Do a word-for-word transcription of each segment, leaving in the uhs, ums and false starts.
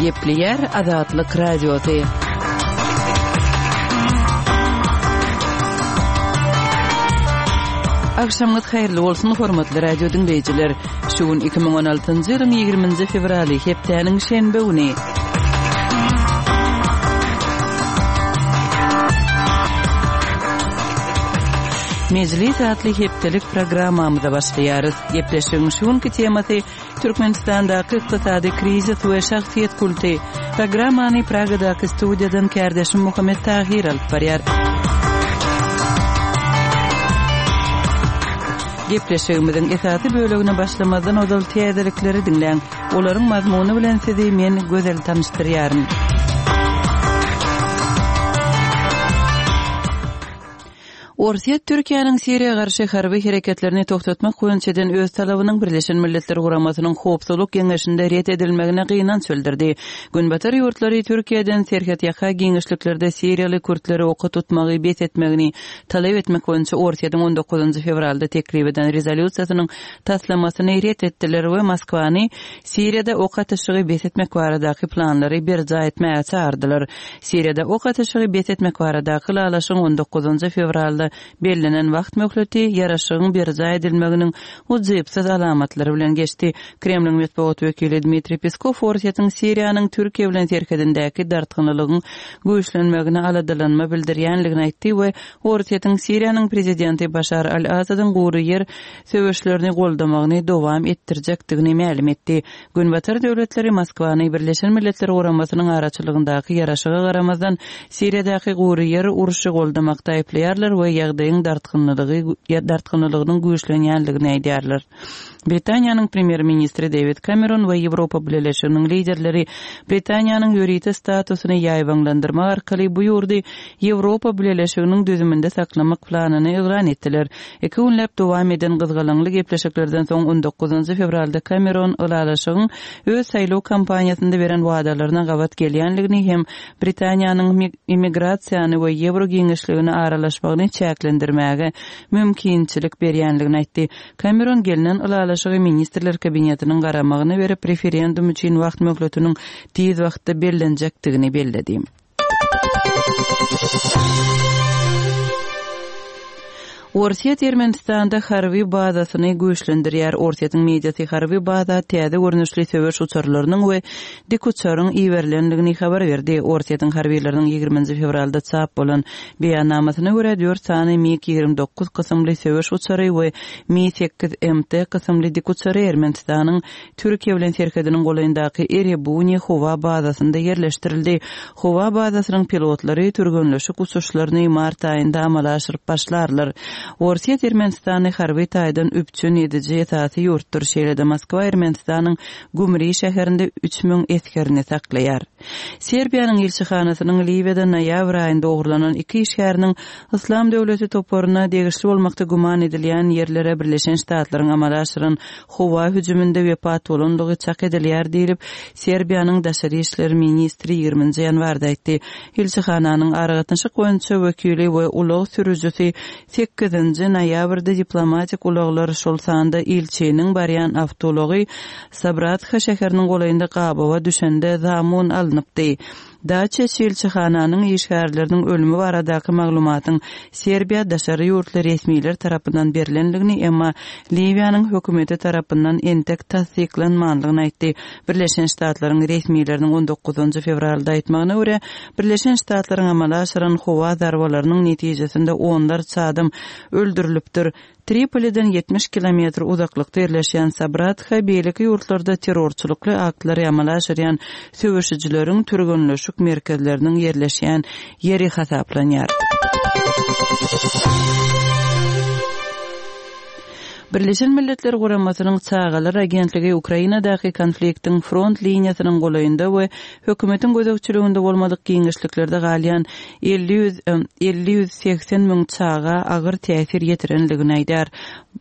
Gepleýär Azatlyk Radiosy. Agşamyňyz haýyrly bolsun, hormatly radio diňleýjiler. Şu gün iki müň on altynjy ýylyň ýigriminji fewraly, hepdäniň şenbe güni. Mejlis atly hepdelik programmamyza başlaýarys. Gepleşigiň şu günki temasy Türkmenistandaky ykdysady krizis we şahsyýet kulty. Programmany Pragadaky studiýadan kärdeşim Muhammet Tahyr alyp barýar. Gepleşigimiziň esasy bölegine başlamazdan ozal täzelikleri diňläň. Olaryň mazmuny bilen sizi men Gözel tanyşdyrýaryn. Orsýet Türkiýäniň Siriýa garşy harby hereketlerini togtatmak boýunça eden öz talabynyň Birleşen Milletler Guramasynyň Howpsuzlyk Geňeşinde ret edilmegine gynanç bildirdi. Günbatar ýurtlary Türkiýeden serhetýaka giňişliklerde siriýaly kürtleri oka tutmagy bes etmegini talap etmek boýunça Orsýetiň on dokuzynjy fewralda teklip eden rezolýusiýasynyň taslamasyny ret etdiler we Moskwany Siriýada ok atyşygy bes etmek baradaky planlary berjaý etmäge çagyrdylar. Siriýada ok atyşygy bes etmek baradaky ylalaşygyň on dokuzynjy fewralda bellenen wagt möhleti ýaraşygyň berjaý edilmeginiň ujypsyz alamatlary bilen geçdi. Kremliň metbugat wekili Dmitriý Peskow Orsýetiň Siriýanyň Türkiýe bilen serhedindäki dartgynlylygyň güýçlenmegine aladalanma bildirýänligini aýtdy we Orsýetiň Siriýanyň prezidenti Başar al-Asadyň gury ýer söweşlerini goldamagyny dowam etdirjekdigini mälim etdi. Günbatar döwletleri Moskwany Birleşen Milletler Guramasynyň araçylygyndaky ýaraşyga garamazdan Siriýadaky gury ýer urşy goldamakda aýyplaýarlar we ýagdaýyň dartgynlylygy, dartgynlylygynyň güýçlenýänligini aýdýarlar. Britaniýanyň premýer-ministri Dewid Kameron we Ýewropa Bileleşiginiň liderleri Britaniýanyň ýörite statusyny ýaýbaňlandyrmak arkaly bu ýurdy Ýewropa Bileleşiginiň düzüminde saklamak planyny yglan etdiler. Iki günläp dowam eden gyzgalaňly gepleşiklerden soň on dokuzynjy fewralda Kameron ylalaşygyň öz saýlaw kampaniýasynda beren wadalaryna gabat gelýänligini hem Britaniýanyň immigrasiýany we ýewro giňişligini aralaşmagyny çäklendirmäge mümkinçilik berýänligini aýtdy. Kameron gelnen ylalaşygy ministrler kabinetiniň garamagyna berip, referendum üçin wagt möhletiniň tiz wagtda bellenjekdigini belledi. Orsýet Ermenistanda harby bazasyny güýçlendirýär. Orsýetiň mediasy harby baza täze görnüşli söweş uçarlarynyň we dik uçaryň iberilendigini habar berdi. Orsýetiň harbylarynyň ýigriminji fewralda çap bolan beýannamasyna görä dört sany MiG ýigrimi dokuz kysymly söweş uçary we Mi sekiz M T kysymly dik uçary Ermenistanyň Türkiýe bilen serhediniň golaýyndaky Erebuni howa bazasynda ýerleşdirildi. Howa bazasynyň pilotlary türgenleşik uçuşlaryny mart aýynda amala aşyryp başlarlar. Orsýet Ermenistany harby taýdan üpjün ediji esasy ýurtdur. Şeýle-de Moskwa Ermenistanyň Gumri şäherinde üç müň esgerini saklaýar. Serbiýanyň ilçihanasynyň Liwiýada noýabr aýynda ogurlanan iki işgäriniň Islam döwleti toparyna degişli bolmakda güman edilýän ýerlere Birleşen Ştatlaryň amala aşyran howa hüjüminde wepat bolandygy çak edilýär diýlip, Serbiýanyň daşary işler ministri ýigriminji ýanwarda aýtdy. Ilçihananyň aragatnaşyk boýunça wekili we ulag sürüjisi sekizinji noýabrda diplomatik ulaglar, şol sanda ilçiniň barýan awtoulagy Sabratha şäheriniň golaýynda gabawa düşende zamun alnypdy. Daçiç ilçihananyň işgärleriniň ölümi baradaky maglumatyň Serbiýa daşary ýurtly resmiler tarapyndan berilenligini, emma Liwiýanyň hökümeti tarapyndan entek tassyklanmanlygyny aýtdy. Birleşen Ştatlaryň resmileriniň on dokuzynjy fewralda aýtmagyna görä, Birleşen Ştatlaryň amala aşyran howa zarbalarynyň netijesinde onlarça adam öldürilipdir. Tripoliden ýetmiş kilometr uzaklykda ýerleşýän Sabratha beýleki ýurtlarda terrorçylykly aktlary amala aşyrýan söweşijileriň türgenleşik merkezleriniň ýerleşýän ýeri hasaplanýar. Birleşen Milletler Guramasynyň Çagalar Agentligi Ukrainadaky konfliktiň front liniýasynyň golaýynda we hökümetiň gözegçiliginde bolmadyk giňişliklerde galýan elli ýüz, elli ýüz segsen müň çaga agyr täsir ýetirenligini aýdar.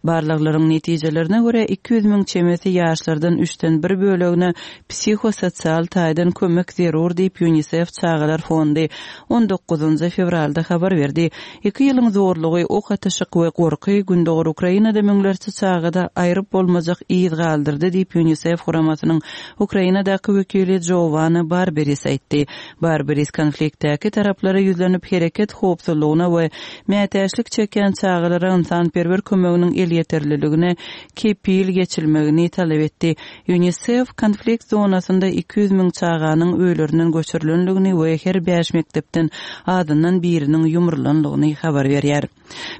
Barlaglaryň netijelerine görä iki ýüz müň çemesi ýaşlardan üçden bir bölegine psihososial taýdan kömek zerur diýip UNICEF Çagalar Fondy on dokuzynjy fewralda habar berdi. Iki ýylyň zorlugy, ok atyşyk we gorky Gündogar Ukrainada müňlerçe müňlerçe çagada aýryp bolmajak yz galdyrdy diýip UNICEF guramasynyň Ukrainadaky wekili Giovanna Barberis aýtdy. Barberis konfliktdäki taraplara ýüzlenip hereket howpsuzlygyna we mätäçlik çekýän çagalara ynsanperwer kömeginiň elýeterliligine kepil geçilmegini talap etdi. UNICEF konflikt zonasynda iki ýüz müň çaganyň öýlerinden göçürilendigini we her bäş mekdepden azyndan biriniň ýumrulandygyny habar berýär.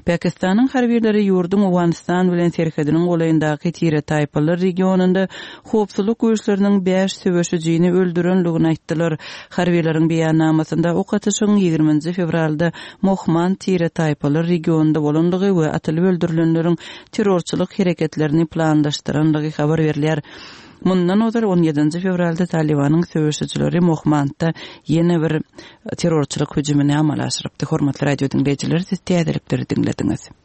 Pakistanyň harbileri ýurduň Owganystan bilen serhediniň golaýyndaky tire-taýpalar regionynda howpsuzlyk güýçleriniň bäş söweşijini öldürendigini aýtdylar. Harbileriň beýannamasynda ok atyşygyň ýigriminji fewralda Mohmand tire-taýpalar regionynda bolandygy we atylyp öldürilenleriň terrorçylyk hereketlerini planlaşdyrandygy habar berilýär. Mundan ozal on ýedinji fewralda Talibanyň söweşijileri Mohmandda ýene bir terrorçylyk hüjümini amala aşyrypdy. Hormatly radio diňleýjiler, siz täzelikleri diňlediňiz.